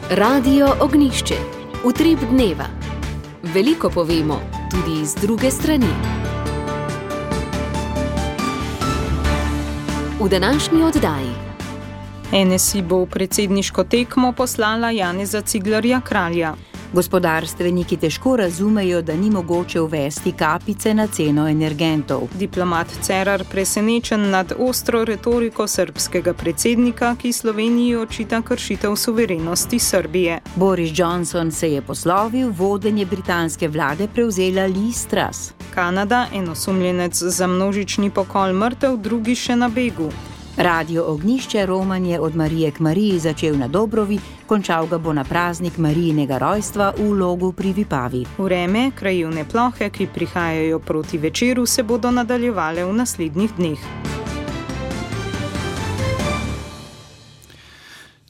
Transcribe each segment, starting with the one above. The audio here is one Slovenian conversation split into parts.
Radio Ognjišče. Utrip dneva. Veliko povemo, tudi iz druge strani. V današnji oddaji. NSI bo v predsedniško tekmo poslala Janeza Ciglerja Kralja. Gospodarstveniki težko razumejo, da ni mogoče uvesti kapice na ceno energentov. Diplomat Cerar presenečen nad ostro retoriko srbskega predsednika, ki Sloveniji očita kršitev suverenosti Srbije. Boris Johnson se je poslovil, vodenje britanske vlade prevzela Liz Truss. Kanada, en osumljenec za množični pokol mrtev, drugi še na begu. Radio Ognjišče Roman je od Marije k Mariji začel na Dobrovi, končal ga bo na praznik Marijinega rojstva v Logu pri Vipavi. Vreme, krajevne plohe, ki prihajajo proti večeru, se bodo nadaljevale v naslednjih dneh.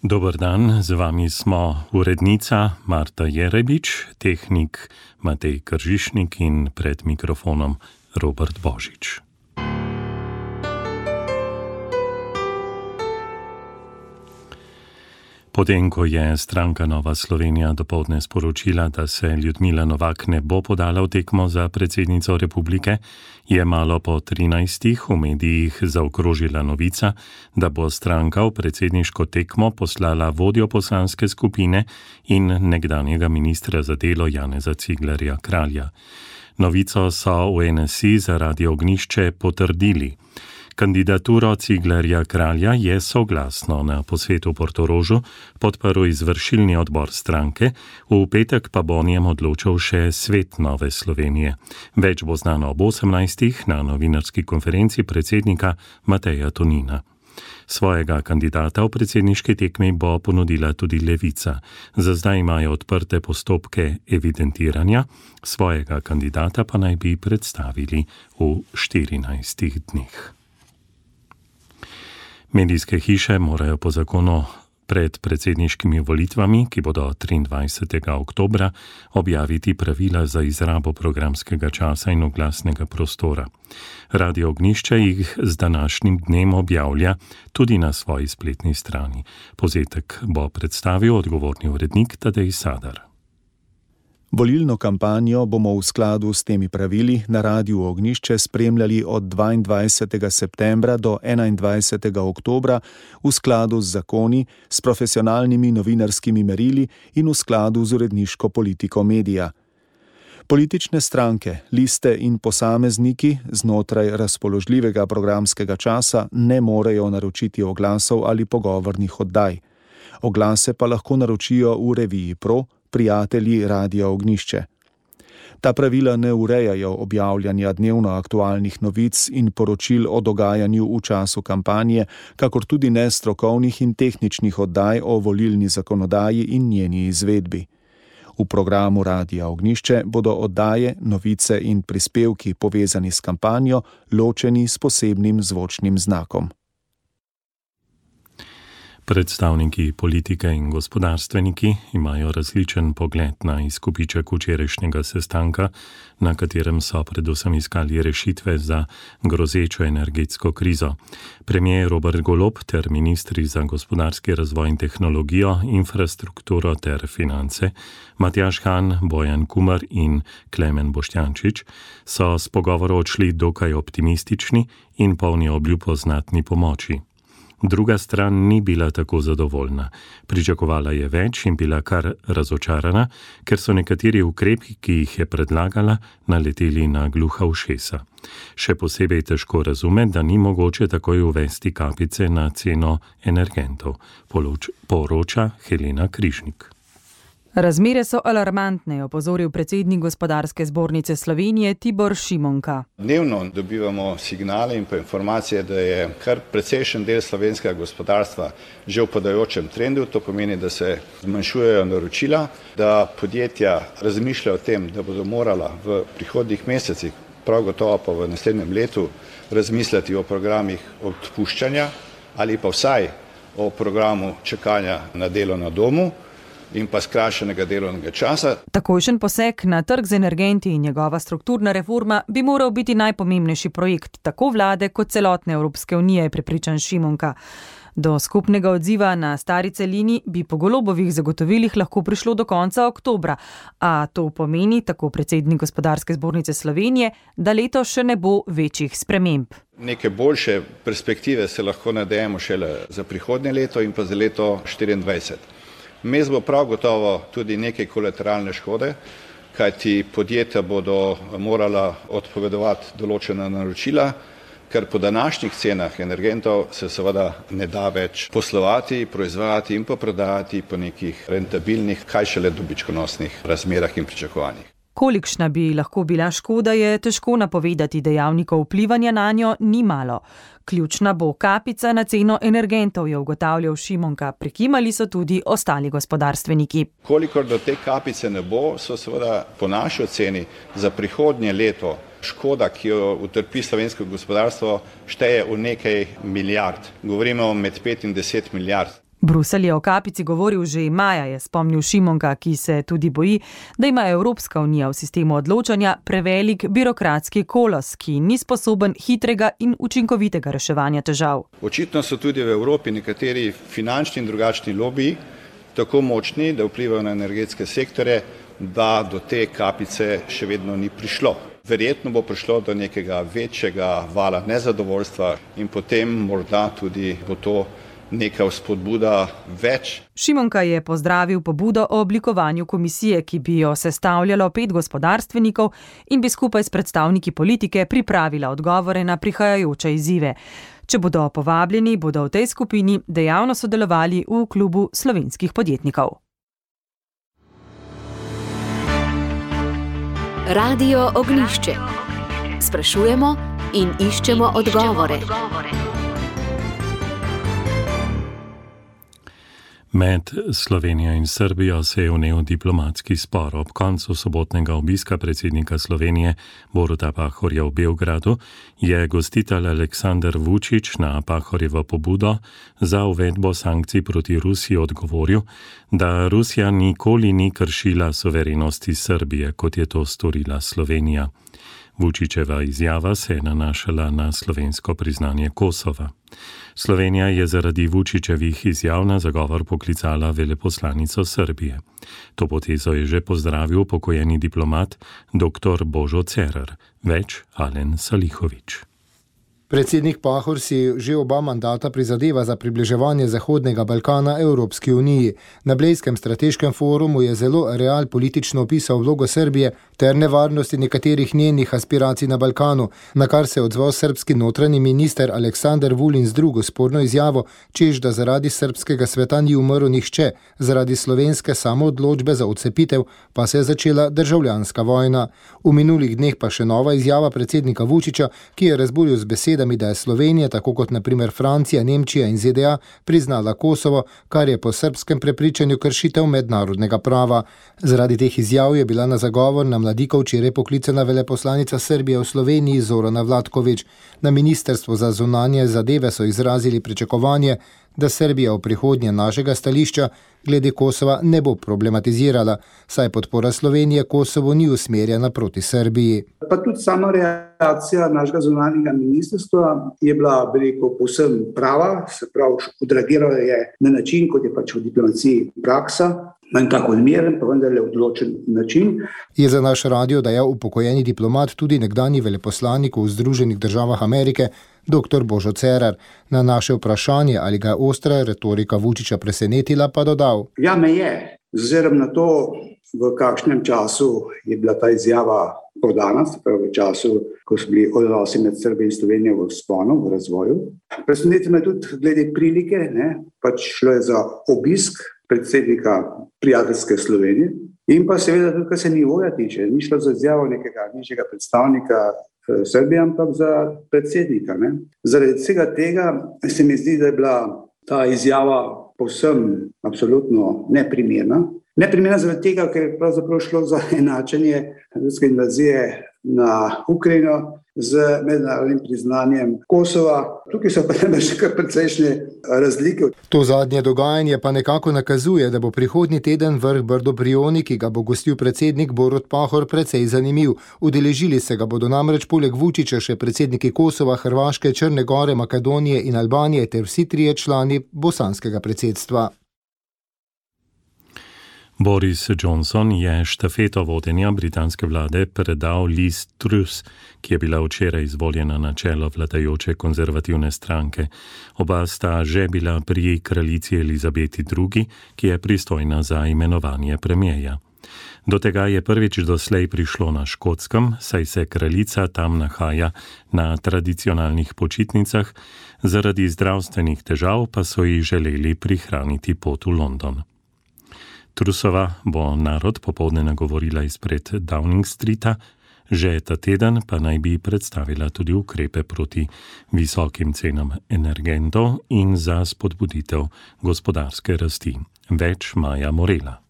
Dober dan, z vami smo urednica Marta Jerebič, tehnik Matej Kržišnik in pred mikrofonom Robert Božič. Potem, ko je stranka Nova Slovenija dopoldne sporočila, da se Ljudmila Novak ne bo podala v tekmo za predsednico republike, je malo po 13 v medijih zaokrožila novica, da bo stranka v predsedniško tekmo poslala vodjo poslanske skupine in nekdanjega ministra za delo Janeza Ciglerja Kralja. Novico so v NSI za Radio Ognjišče potrdili. Kandidaturo Ciglerja Kralja je soglasno na posvetu v Portorožu podprl izvršilni odbor stranke, v petek pa bo o njem odločal še svet Nove Slovenije. Več bo znano ob 18. na novinarski konferenci predsednika Mateja Tonina. Svojega kandidata v predsedniški tekmi bo ponudila tudi Levica. Za zdaj imajo odprte postopke evidentiranja, svojega kandidata pa naj bi predstavili v 14 dneh. Medijske hiše morajo po zakonu pred predsedniškimi volitvami, ki bodo 23. oktobra, objaviti pravila za izrabo programskega časa in oglasnega prostora. Radio Ognjišče jih z današnjim dnem objavlja tudi na svoji spletni strani. Povzetek bo predstavil odgovorni urednik Tadej Sadar. Volilno kampanjo bomo v skladu s temi pravili na Radiu Ognjišče spremljali od 22. septembra do 21. oktobra v skladu z zakoni, s profesionalnimi novinarskimi merili in v skladu z uredniško politiko medija. Politične stranke, liste in posamezniki znotraj razpoložljivega programskega časa ne morejo naročiti oglasov ali pogovornih oddaj. Oglase pa lahko naročijo v reviji Pro, prijatelji Radia Ognjišče. Ta pravila ne urejajo objavljanja dnevno aktualnih novic in poročil o dogajanju v času kampanje, kakor tudi ne strokovnih in tehničnih oddaj o volilni zakonodaji in njeni izvedbi. V programu Radia Ognjišče bodo oddaje, novice in prispevki povezani s kampanjo ločeni s posebnim zvočnim znakom. Predstavniki politike in gospodarstveniki imajo različen pogled na izkupiček včerajšnjega sestanka, na katerem so predvsem iskali rešitve za grozečo energetsko krizo. Premier Robert Golob ter ministri za gospodarski razvoj in tehnologijo, infrastrukturo ter finance, Matjaž Han, Bojan Kumer in Klemen Boštjančič, so s pogovorov odšli dokaj optimistični in polni obljub o znatni pomoči. Druga stran ni bila tako zadovoljna. Pričakovala je več in bila kar razočarana, ker so nekateri ukrepi, ki jih je predlagala, naleteli na gluha ušesa. Še posebej težko razume, da ni mogoče takoj uvesti kapice na ceno energentov, poroča Helena Križnik. Razmere so alarmantne, je opozoril predsednik Gospodarske zbornice Slovenije Tibor Šimonka. Dnevno dobivamo signale in pa informacije, da je kar precejšen del slovenskega gospodarstva že v padajočem trendu. To pomeni, da se zmanjšujejo naročila, da podjetja razmišljajo o tem, da bodo morala v prihodnjih mesecih, prav gotovo pa v naslednjem letu, razmisliti o programih odpuščanja ali pa vsaj o programu čakanja na delo na domu in pa skrajšanega delovnega časa. Takojšen poseg na trg z energenti in njegova strukturna reforma bi moral biti najpomembnejši projekt tako vlade kot celotne Evropske unije, je prepričan Šimonka. Do skupnega odziva na stari celini bi po Golobovih zagotovilih lahko prišlo do konca oktobra, a to pomeni, tako predsednik Gospodarske zbornice Slovenije, da leto še ne bo večjih sprememb. Neke boljše perspektive se lahko nadejamo šele za prihodnje leto in pa za leto 2024. Vmes bo prav gotovo tudi nekaj kolateralne škode, kajti podjetja bodo morala odpovedovati določena naročila, ker po današnjih cenah energentov se seveda ne da več poslovati, proizvajati in pa prodajati po nekih rentabilnih, kaj šele dobičkonosnih razmerah in pričakovanjih. Kolikšna bi lahko bila škoda, je težko napovedati, dejavnikov vplivanja nanjo ni malo. Ključna bo kapica na ceno energentov, je ugotavljal Šimonka. Prikimali so tudi ostali gospodarstveniki. Kolikor do te kapice ne bo, so seveda po naši oceni za prihodnje leto škoda, ki jo utrpi slovensko gospodarstvo, šteje v nekaj milijard. Govorimo med 5 in 10 milijard. Bruselj je o kapici govoril že maja, je spomnil Šimonka, ki se tudi boji, da ima Evropska unija v sistemu odločanja prevelik birokratski kolos, ki ni sposoben hitrega in učinkovitega reševanja težav. Očitno so tudi v Evropi nekateri finančni in drugačni lobiji tako močni, da vplivajo na energetske sektore, da do te kapice še vedno ni prišlo. Verjetno bo prišlo do nekega večjega vala nezadovoljstva in potem morda tudi bo to neka vzpodbuda več. Šimonka je pozdravil pobudo o oblikovanju komisije, ki bi jo sestavljalo 5 gospodarstvenikov in bi skupaj s predstavniki politike pripravila odgovore na prihajajoče izzive. Če bodo povabljeni, bodo v tej skupini dejavno sodelovali v klubu slovenskih podjetnikov. Radio Ognjišče. Sprašujemo in iščemo odgovore. Med Slovenijo in Srbijo se je vnel diplomatski spor. Ob koncu sobotnega obiska predsednika Slovenije Boruta Pahorja v Beogradu je gostitelj Aleksandar Vučić na Pahorjevo pobudo za uvedbo sankcij proti Rusiji odgovoril, da Rusija nikoli ni kršila suverenosti Srbije, kot je to storila Slovenija. Vučićeva izjava se je nanašala na slovensko priznanje Kosova. Slovenija je zaradi Vučićevih izjav na zagovor poklicala veleposlanico Srbije. To potezo je že pozdravil pokojeni diplomat dr. Božo Cerar, več Alen Salihović. Predsednik Pahor si že oba mandata prizadeva za približevanje Zahodnega Balkana Evropski uniji. Na Blejskem strateškem forumu je zelo realpolitično opisal vlogo Srbije ter nevarnosti nekaterih njenih aspiracij na Balkanu, na kar se je odzval srbski notranji minister Aleksandar Vulin z drugo sporno izjavo, češ da zaradi srbskega sveta ni umrl nihče, zaradi slovenske samoodločbe za odcepitev pa se je začela državljanska vojna. V minulih dneh pa še nova izjava predsednika Vučića, ki je razburil z besedami, da je Slovenija, tako kot na primer Francija, Nemčija in ZDA, priznala Kosovo, kar je po srbskem prepričanju kršitev mednarodnega prava. Zaradi teh izjav je bila na zagovor na Mladikov včeraj poklicana veleposlanica Srbije v Sloveniji Zorana Vlatković. Na Ministrstvu za zunanje zadeve so izrazili pričakovanje, da Srbija v prihodnje našega stališča glede Kosova ne bo problematizirala, saj podpora Slovenije Kosovo ni usmerjena proti Srbiji. Pa tudi sama reakcija našega zunanjega ministrstva je bila, povsem prava, se pravi, odreagirala je na način, kot je pač v diplomaciji praksa, manj tako odmeren, pa vendarle odločen način. Je za naš radio dejal upokojeni diplomat, tudi nekdanji veleposlanik v Združenih državah Amerike, dr. Božo Cerar. Na naše vprašanje, ali ga je ostra retorika Vučića presenetila, pa dodal. Ja, me je. Z ozirom na to, v kakšnem času je bila ta izjava podana, se pravi v času, ko so bili odnosi med Srbijo in Slovenijo v vzponu, v razvoju. Presenetilo me tudi glede prilike, pač šlo je za obisk predsednika prijateljske Slovenije in pa seveda tudi, kar se nivoja tiče, ni šlo za izjavo nekega nižjega predstavnika Srbije, ampak za predsednika. Zaradi vsega tega se mi zdi, da je bila ta izjava povsem absolutno neprimerna. Neprimerna zaradi tega, ker je pravzaprav šlo za enačenje ruske invazije na Ukrajino z mednarodnim priznanjem Kosova. Tukaj so pa še kar precejšnje razlike. To zadnje dogajanje pa nekako nakazuje, da bo prihodnji teden vrh Brdo-Brioni, ki ga bo gostil predsednik Borut Pahor, precej zanimiv. Udeležili se ga bodo namreč poleg Vučića še predsedniki Kosova, Hrvaške, Črne Gore, Makedonije in Albanije ter vsi trije člani bosanskega predsedstva. Boris Johnson je štafeto vodenja britanske vlade predal Liz Truss, ki je bila včeraj izvoljena na čelo vladajoče konzervativne stranke. Oba sta že bila pri kraljici Elizabeti II, ki je pristojna za imenovanje premierja. Do tega je prvič doslej prišlo na Škotskem, saj se kraljica tam nahaja na tradicionalnih počitnicah, zaradi zdravstvenih težav pa so ji želeli prihraniti pot v London. Trussova bo narod popoldne nagovorila izpred Downing Streeta, že ta teden pa naj bi predstavila tudi ukrepe proti visokim cenam energentov in za spodbuditev gospodarske rasti. Več Maja Morela.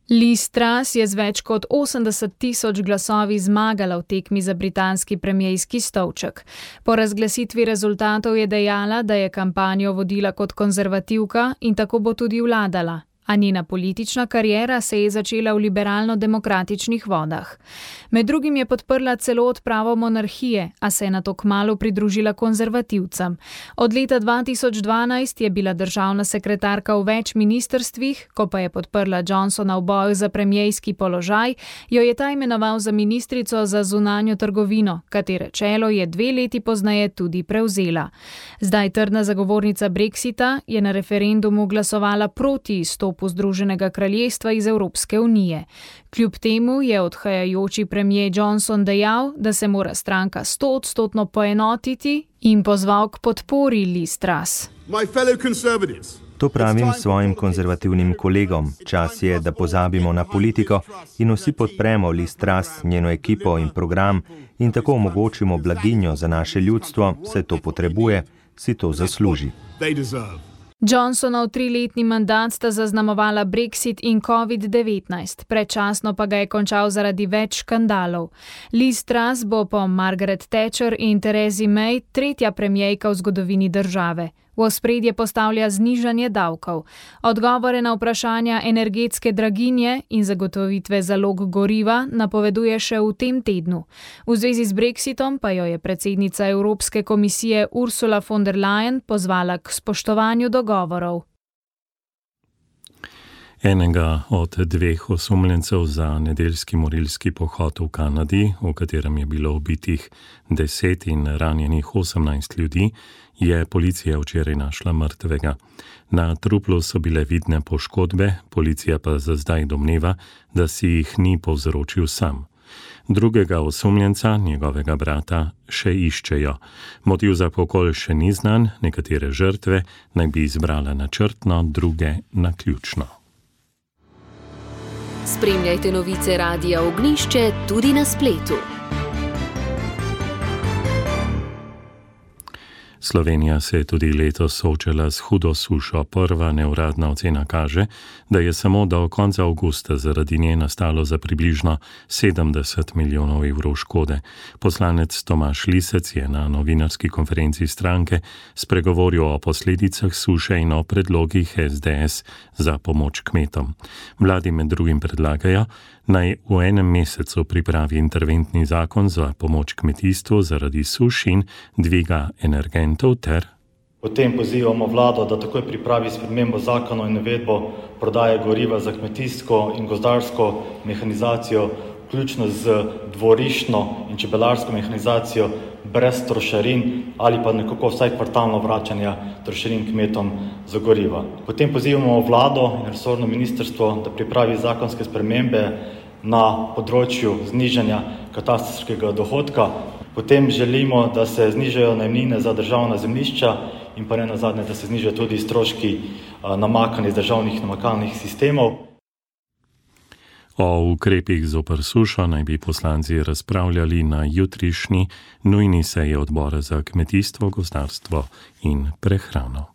Liz Truss je z več kot 80.000 glasovi zmagala v tekmi za britanski premierski stolček. Po razglasitvi rezultatov je dejala, da je kampanjo vodila kot konzervativka in tako bo tudi vladala. A njena politična kariera se je začela v liberalno-demokratičnih vodah. Med drugim je podprla celo odpravo monarhije, a se je nato kmalu pridružila konzervativcem. Od leta 2012 je bila državna sekretarka v več ministrstvih, ko pa je podprla Johnsona v boju za premierski položaj, jo je ta imenoval za ministrico za zunanjo trgovino, katere čelo je 2 leti pozneje tudi prevzela. Zdaj trdna zagovornica Brexita je na referendumu glasovala proti izstopu Združenega kraljestva iz Evropske unije. Kljub temu je odhajajoči premijer Johnson dejal, da se mora stranka 100% poenotiti in pozval k podpori Liz Truss. To pravim svojim konzervativnim kolegom. Čas je, da pozabimo na politiko in vsi podpremo Liz Truss, njeno ekipo in program in tako omogočimo blaginjo za naše ljudstvo, saj to potrebuje, si to zasluži. Johnsonov 3-letni mandat sta zaznamovala Brexit in COVID-19, predčasno pa ga je končal zaradi več škandalov. Liz Truss bo po Margaret Thatcher in Theresi May 3. premierka v zgodovini države. V ospredje postavlja znižanje davkov. Odgovore na vprašanja energetske draginje in zagotovitve zalog goriva napoveduje še v tem tednu. V zvezi z Brexitom pa jo je predsednica Evropske komisije Ursula von der Leyen pozvala k spoštovanju dogovorov. Enega od 2 osumljencev za nedeljski morilski pohod v Kanadi, v katerem je bilo ubitih 10 in ranjenih 18 ljudi, je policija včeraj našla mrtvega. Na truplu so bile vidne poškodbe, policija pa za zdaj domneva, da si jih ni povzročil sam. Drugega osumljenca, njegovega brata, še iščejo. Motiv za pokol še ni znan, nekatere žrtve naj bi izbrala načrtno, druge naključno. Spremljajte novice Radia Ognjišče tudi na spletu. Slovenija se je tudi letos soočala s hudo sušo. Prva neuradna ocena kaže, da je samo do konca avgusta zaradi nje nastalo za približno 70 milijonov evrov škode. Poslanec Tomaž Lisec je na novinarski konferenci stranke spregovoril o posledicah suše in o predlogih SDS za pomoč kmetom. Vladi med drugim predlagajo, naj v enem mesecu pripravi interventni zakon za pomoč kmetijstvu zaradi suš in dviga energentov ter. Potem pozivamo vlado, da takoj pripravi spremembo zakona in uvedbo prodaje goriva za kmetijsko in gozdarsko mehanizacijo, vključno z dvoriščno in čebelarsko mehanizacijo brez trošarin ali pa nekako vsaj kvartalno vračanja trošarin kmetom za goriva. Potem pozivamo vlado in resorno ministrstvo, da pripravi zakonske spremembe na področju znižanja katastrskega dohodka. Potem želimo, da se znižajo najemnine za državna zemljišča in pa ne nazadnje, da se znižajo tudi stroški namakanja iz državnih namakalnih sistemov. O ukrepih zoper sušo naj bi poslanci razpravljali na jutrišnji nujni seji odbora za kmetijstvo, gozdarstvo in prehrano.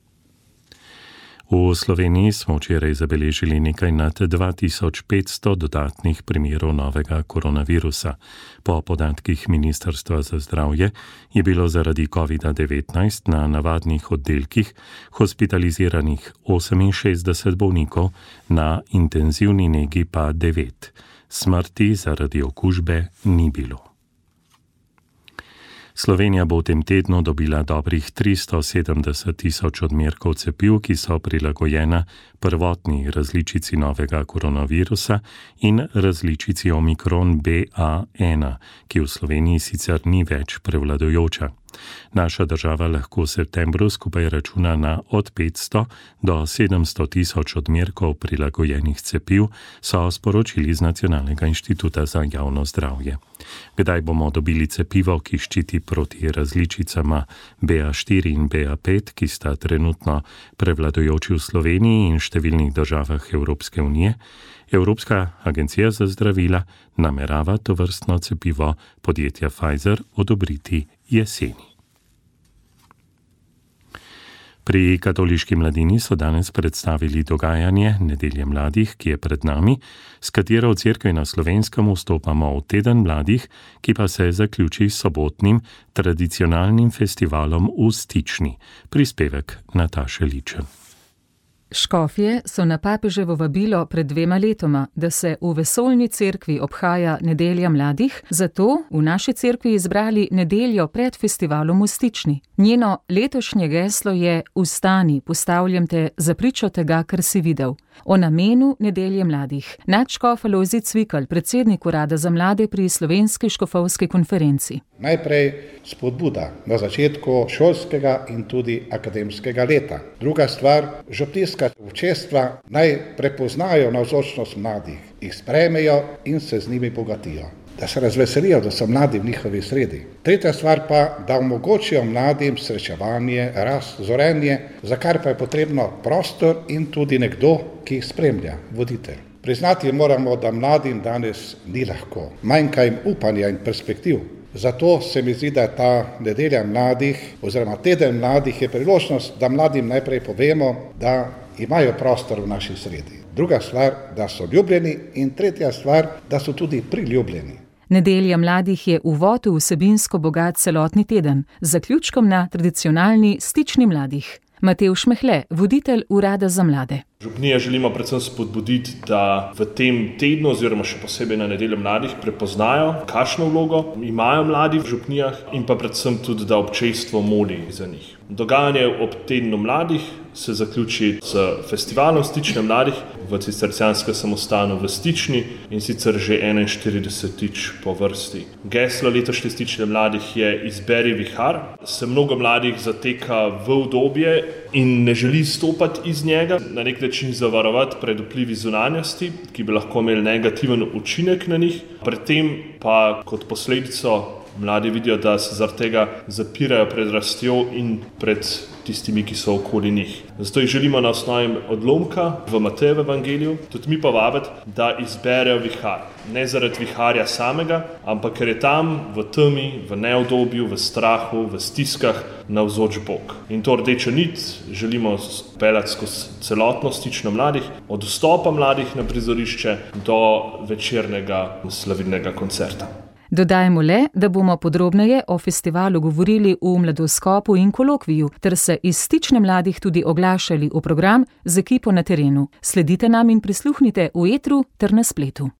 V Sloveniji smo včeraj zabeležili nekaj nad 2500 dodatnih primerov novega koronavirusa. Po podatkih Ministrstva za zdravje je bilo zaradi COVID-19 na navadnih oddelkih hospitaliziranih 68 bolnikov, na intenzivni negi pa 9. Smrti zaradi okužbe ni bilo. Slovenija bo v tem tednu dobila dobrih 370 tisoč odmerkov cepiv, ki so prilagojena prvotni različici novega koronavirusa in različici Omikron BA1, ki v Sloveniji sicer ni več prevladujoča. Naša država lahko v septembru skupaj računa na od 500 do 700 tisoč odmerkov prilagojenih cepiv, so sporočili z Nacionalnega inštituta za javno zdravje. Kdaj bomo dobili cepivo, ki ščiti proti različicama BA4 in BA5, ki sta trenutno prevladujoči v Sloveniji in številnih državah Evropske unije, Evropska agencija za zdravila namerava tovrstno cepivo podjetja Pfizer odobriti jeseni. Pri Katoliški mladini so danes predstavili dogajanje Nedelje mladih, ki je pred nami, s katero v cerkvi na Slovenskem vstopamo v teden mladih, ki pa se zaključi s sobotnim tradicionalnim festivalom v Stični. Prispevek Nataše Ličen. Škofje so na papeževo vabilo pred 2 letoma, da se v vesoljni cerkvi obhaja Nedelja mladih, zato v naši cerkvi izbrali nedeljo pred festivalom v Stični. Njeno letošnje geslo je: Vstani, postavljam te za pričo tega, kar si videl. O namenu Nedelje mladih nadškof Alojzij Cvikl, predsednik Urada za mlade pri Slovenski škofovski konferenci. Najprej spodbuda na začetku šolskega in tudi akademskega leta. Druga stvar, župnijska občestva naj prepoznajo navzočnost mladih, jih sprejmejo in se z njimi bogatijo. Da se razveselijo, da so mladi v njihovi sredi. Tretja stvar pa, da omogočijo mladim srečevanje, rast, zorenje, za kar pa je potrebno prostor in tudi nekdo, ki jih spremlja, voditelj. Priznati moramo, da mladim danes ni lahko. Manjka jim upanja in perspektiv. Zato se mi zdi, da je ta Nedelja mladih oziroma teden mladih je priložnost, da mladim najprej povemo, da imajo prostor v naši sredi. Druga stvar, da so ljubljeni, in tretja stvar, da so tudi priljubljeni. Nedelja mladih je uvod v vsebinsko bogat celotni teden, z zaključkom na tradicionalni Stični mladih. Matevž Mehle, voditelj Urada za mlade. Župnije želimo predvsem spodbuditi, da v tem tednu oziroma še posebej na Nedeljo mladih prepoznajo, kakšno vlogo imajo mladi v župnijah in pa predvsem tudi, da občestvo moli za njih. Dogajanje ob tednu mladih se zaključi s festivalom Stične mladih v cistercijanskem samostanu v Stični, in sicer že 41. po vrsti. Geslo letošnje Stične mladih je Izberi vihar. Se mnogo mladih zateka v udobje in ne želi stopati iz njega, na nek način zavarovati pred vplivi zunanjosti, ki bi lahko imeli negativen učinek na njih. Predtem pa kot posledico mladi vidijo, da se zaradi tega zapirajo pred rastjo in pred tistimi, ki so okoli njih. Zato jih želimo na osnovi odlomka v Matejevem evangeliju tudi mi povabiti, da izberejo vihar. Ne zaradi viharja samega, ampak ker je tam v temi, v neudobju, v strahu, v stiskah navzoč Bog. In to rdečo nit želimo peljati skozi celotno Stično mladih, od vstopa mladih na prizorišče do večernega slavilnega koncerta. Dodajmo le, da bomo podrobneje o festivalu govorili v mladoskopu in kolokviju, ter se iz Stične mladih tudi oglašali v program z ekipo na terenu. Sledite nam in prisluhnite v etru ter na spletu.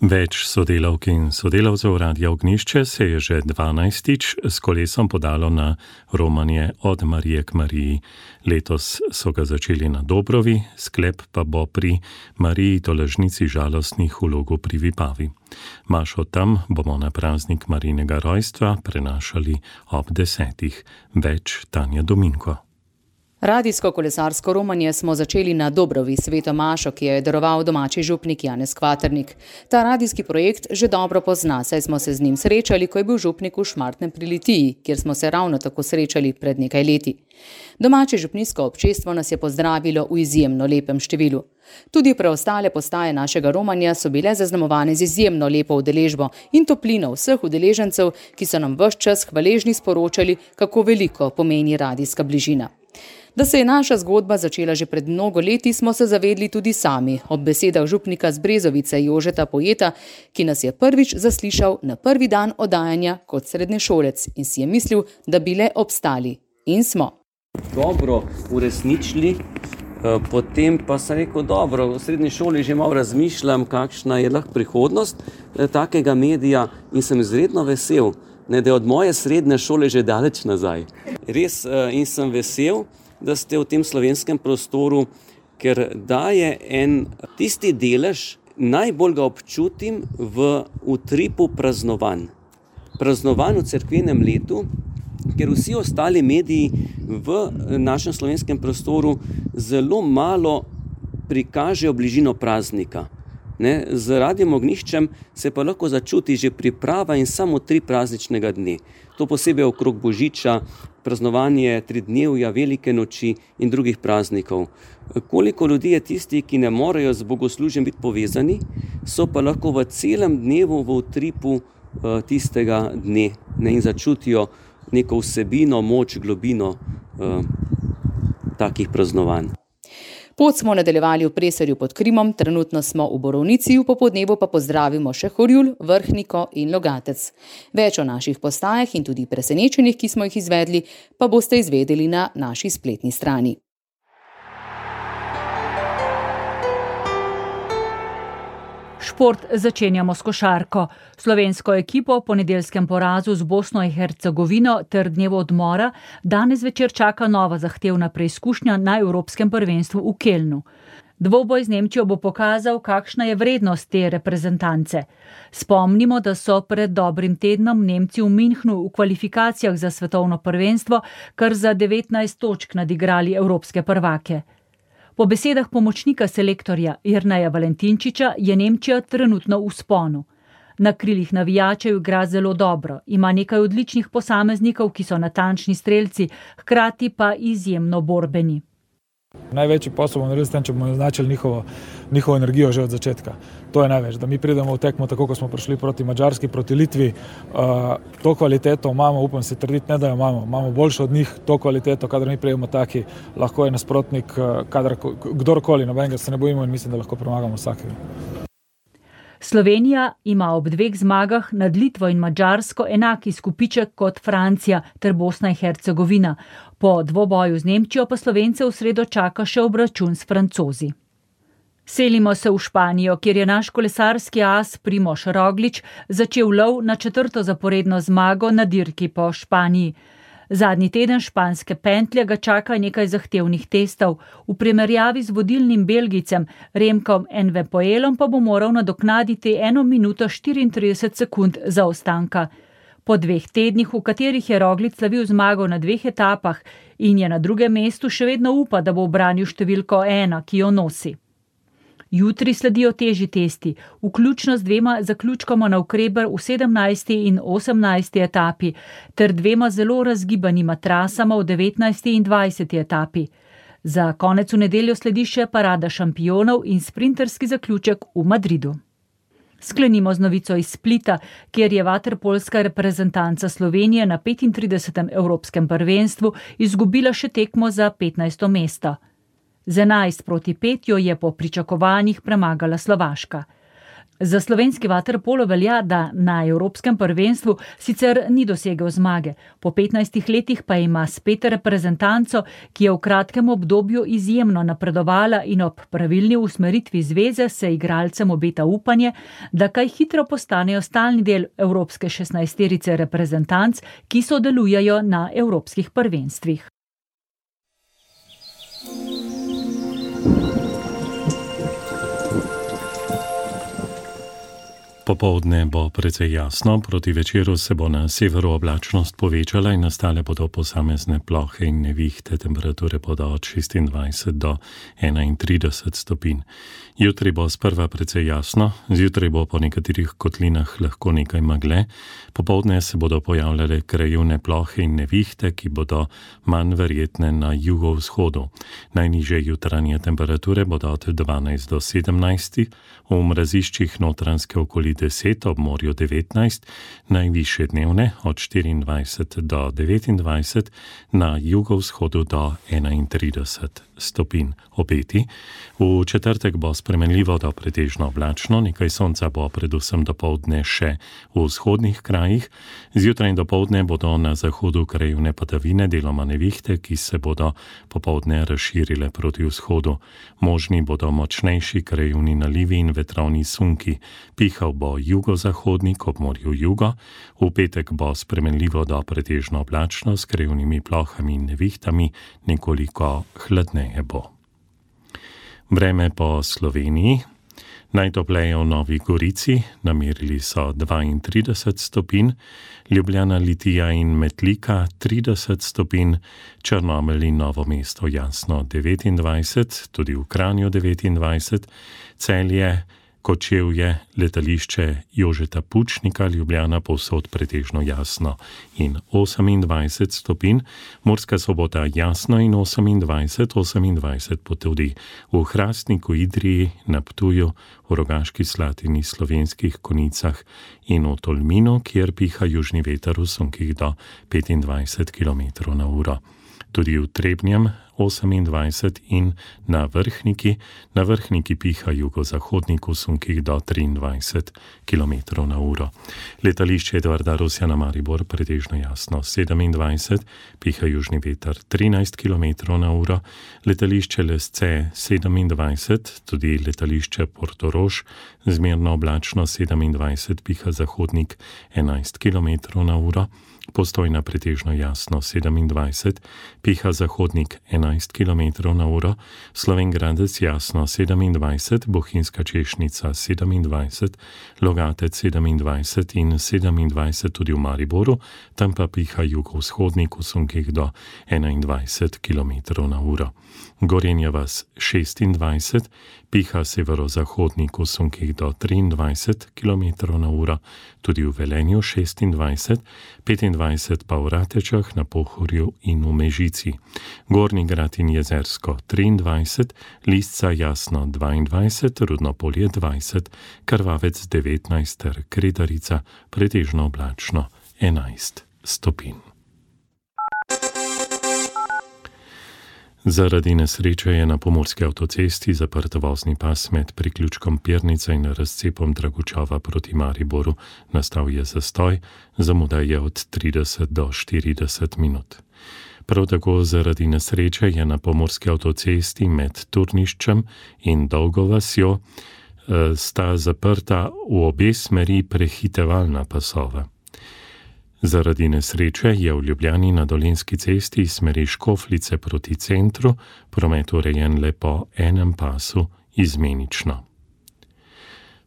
Več sodelavk in sodelavcev Radia Ognjišče se je že 12. s kolesom podalo na romanje Od Marije k Mariji. Letos so ga začeli na Dobrovi, sklep pa bo pri Mariji Tolažnici žalostnih v Logu pri Vipavi. Mašo tam bomo na praznik Marijinega rojstva prenašali ob 10. Več Tanja Dominko. Radijsko kolesarsko romanje smo začeli na Dobrovi sveto mašo, ki jo je daroval domači župnik Janez Kvaternik. Ta radijski projekt že dobro pozna, saj smo se z njim srečali, ko je bil župnik v Šmartnem pri Litiji, kjer smo se ravno tako srečali pred nekaj leti. Domače župnijsko občestvo nas je pozdravilo v izjemno lepem številu. Tudi preostale postaje našega romanja so bile zaznamovane z izjemno lepo udeležbo in toplino vseh udeležencev, ki so nam ves čas hvaležni sporočali, kako veliko pomeni radijska bližina. Da se je naša zgodba začela že pred mnogo leti, smo se zavedli tudi sami, ob besedah župnika z Brezovice Jožeta Pojeta, ki nas je prvič zaslišal na prvi dan oddajanja kot srednješolec in si je mislil, da bi le obstali. In smo. Dobro uresničili, potem pa sem rekel, dobro, v srednji šoli že malo razmišljam, kakšna je lahko prihodnost takega medija in sem izredno vesel, da je od moje srednje šole že daleč nazaj. Res in sem vesel, da ste v tem slovenskem prostoru, ker daje en tisti delež, najbolj ga občutim v utripu praznovanj. Praznovanj v cerkvenem letu, ker vsi ostali mediji v našem slovenskem prostoru zelo malo prikažejo bližino praznika. Z Radiem Ognjiščem se pa lahko začuti že priprava in samo 3 prazničnega dne. To posebej okrog Božiča, praznovanje 3-dnevja, velike noči in drugih praznikov. Koliko ljudi je tisti, ki ne morejo z bogoslužjem biti povezani, so pa lahko v celem dnevu v utripu tistega dne in začutijo neko vsebino, moč, globino takih praznovanj. Pot smo nadaljevali v Preserju pod Krimom, trenutno smo v Borovnici, v popodnevu pa pozdravimo še Horjul, Vrhniko in Logatec. Več o naših postajah in tudi presenečenjih, ki smo jih izvedli, pa boste izvedeli na naši spletni strani. Šport začenjamo s košarko. Slovensko ekipo po nedeljskem porazu z Bosno in Hercegovino ter dnevu odmora danes večer čaka nova zahtevna preizkušnja na Evropskem prvenstvu v Kelnu. Dvoboj z Nemčijo bo pokazal, kakšna je vrednost te reprezentance. Spomnimo, da so pred dobrim tednom Nemci v Münchnu v kvalifikacijah za svetovno prvenstvo kar za 19 točk nadigrali evropske prvake. Po besedah pomočnika selektorja Jerneja Valentinčiča je Nemčija trenutno v vzponu. Na krilih navijačev igra zelo dobro, ima nekaj odličnih posameznikov, ki so natančni strelci, hkrati pa izjemno borbeni. Največji posel bomo naredili s tem, če bomo označili njihovo energijo že od začetka. To je največ, da mi pridemo v tekmo tako, ko smo prišli proti Madžarski, proti Litvi. To kvaliteto imamo, upam se trditi, ne da jo imamo boljšo od njih, to kvaliteto, kadar mi prijemo taki, lahko je nasprotnik, kdorkoli, nobenega se ne bojimo in mislim, da lahko premagamo vsakega. Slovenija ima ob 2 zmagah nad Litvo in Madžarsko enaki izkupiček kot Francija ter Bosna in Hercegovina. Po dvoboju z Nemčijo pa Slovence v sredo čaka še obračun s Francozi. Selimo se v Španijo, kjer je naš kolesarski as Primož Roglič začel lov na 4. zaporedno zmago na dirki po Španiji. Zadnji teden španske pentlje ga čaka nekaj zahtevnih testov. V primerjavi z vodilnim Belgijcem Remkom Evenepoelom pa bo moral nadoknaditi 1 minuto 34 sekund zaostanka. Po 2 tednih, v katerih je Roglič slavil zmago na 2 etapah in je na 2. mestu, še vedno upa, da bo ubranil številko 1, ki jo nosi. Jutri sledijo težji testi, vključno z 2 zaključkoma navkreber v 17. in 18. etapi, ter 2 zelo razgibanima trasama v 19. in 20. etapi. Za konec v nedeljo sledi še parada šampionov in sprinterski zaključek v Madridu. Sklenimo z novico iz Splita, kjer je vaterpolska reprezentanca Slovenije na 35. evropskem prvenstvu izgubila še tekmo za 15. mesto. Z 11-5 jo je po pričakovanjih premagala Slovaška. Za slovenski vaterpolo velja, da na evropskem prvenstvu sicer ni dosegel zmage. Po 15 letih pa ima spet reprezentanco, ki je v kratkem obdobju izjemno napredovala in ob pravilni usmeritvi zveze se igralcem obeta upanje, da kaj hitro postanejo stalni del evropske 16-terice reprezentanc, ki sodelujejo na evropskih prvenstvih. Popoldne bo precej jasno, proti večeru se bo na severu oblačnost povečala in nastale bodo posamezne plohe in nevihte, temperature bodo od 26 do 31 stopinj. Jutri bo sprva precej jasno, zjutraj bo po nekaterih kotlinah lahko nekaj megle, popoldne se bodo pojavljale krajevne plohe in nevihte, ki bodo manj verjetne na jugovzhodu. Najnižje jutranje temperature bodo od 12 do 17, v mraziščih notranjske okolice 10, ob morju 19, najvišje dnevne od 24 do 29, na jugovzhodu do 31 stopinj. Obeti. V četrtek bo spremenljivo do pretežno oblačno, nekaj sonca bo predvsem dopoldne še v vzhodnih krajih. Zjutraj in dopoldne bodo na zahodu krajevne padavine, deloma nevihte, ki se bodo popoldne razširile proti vzhodu. Možni bodo močnejši krajevni nalivi in vetrovni sunki. Pihal bo jugozahodnik, ob morju jugo. V petek bo spremenljivo do pretežno oblačno s krajevnimi plohami in nevihtami, nekoliko hladneje bo. Vreme po Sloveniji. Najtopleje v Novi Gorici, namerili so 32 stopinj, Ljubljana, Litija in Metlika 30 stopinj, Črnomelj in Novo mesto jasno 29, tudi v Kranju 29, Celje, Kočevje, letališče Jožeta Pučnika, Ljubljana povsod pretežno jasno in 28 stopinj, Murska Sobota jasno in 28 pa tudi v Hrastniku, Idriji, na Ptuju, v Rogaški Slatini, Slovenskih Konicah in v Tolminu, kjer piha južni veter v sunkih do 25 km/h. Tudi v Trebnjem 28 in na Vrhniki piha jugozahodnik v sunkih do 23 km/h. Letališče Edvarda Rusjana Maribor pretežno jasno 27, piha južni veter 13 km/h, letališče Lesce 27, tudi letališče Portorož zmerno oblačno 27, piha zahodnik 11 km/h, Postojna pretežno jasno 27, piha zahodnik 11 km/h, Slovenj Gradec jasno 27, Bohinjska Češnica 27, Logatec 27 in 27 tudi v Mariboru, tam pa piha jugovzhodnik v sunkih do 21 km/h. Gorenja vas 26, piha severozahodnik v sunkih do 23 km/h, tudi v Velenju 26, 25 pa v Ratečah, na Pohorju in v Mežici. Gornji Grad in Jezersko 23, Lisca jasno 22, Rudnopolje 20, Krvavec 19 ter Kredarica pretežno oblačno 11 stopinj. Zaradi nesreče je na pomurski avtocesti zaprt vozni pas med priključkom Pirnica in razcepom Dragučava proti Mariboru. Nastal je zastoj, zamuda je od 30 do 40 minut. Prav tako zaradi nesreče je na pomurski avtocesti med Turniščem in Dolgo vasjo sta zaprta v obe smeri prehitevalna pasova. Zaradi nesreče je v Ljubljani na Dolenjski cesti iz smeri Škofljice proti centru promet urejen le po enem pasu izmenično.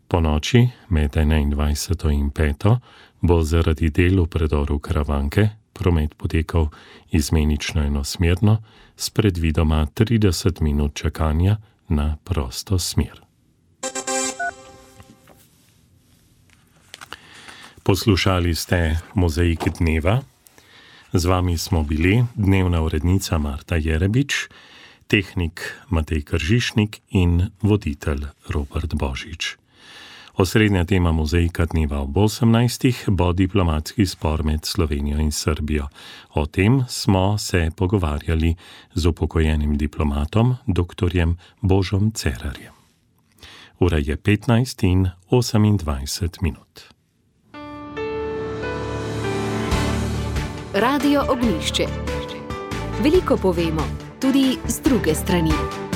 Po noči med 21. in 5. bo zaradi del v predoru Karavanke promet potekal izmenično enosmerno s predvidoma 30 minut čakanja na prosto smer. Poslušali ste Mozaik dneva. Z vami smo bili dnevna urednica Marta Jerebič, tehnik Matej Kržišnik in voditelj Robert Božič. Osrednja tema Mozaika dneva ob 18. bo diplomatski spor med Slovenijo in Srbijo. O tem smo se pogovarjali z upokojenim diplomatom, dr. Božom Cerarjem. Ura je 15 in 28 minut. Radio Ognjišče. Veliko povemo, tudi z druge strani.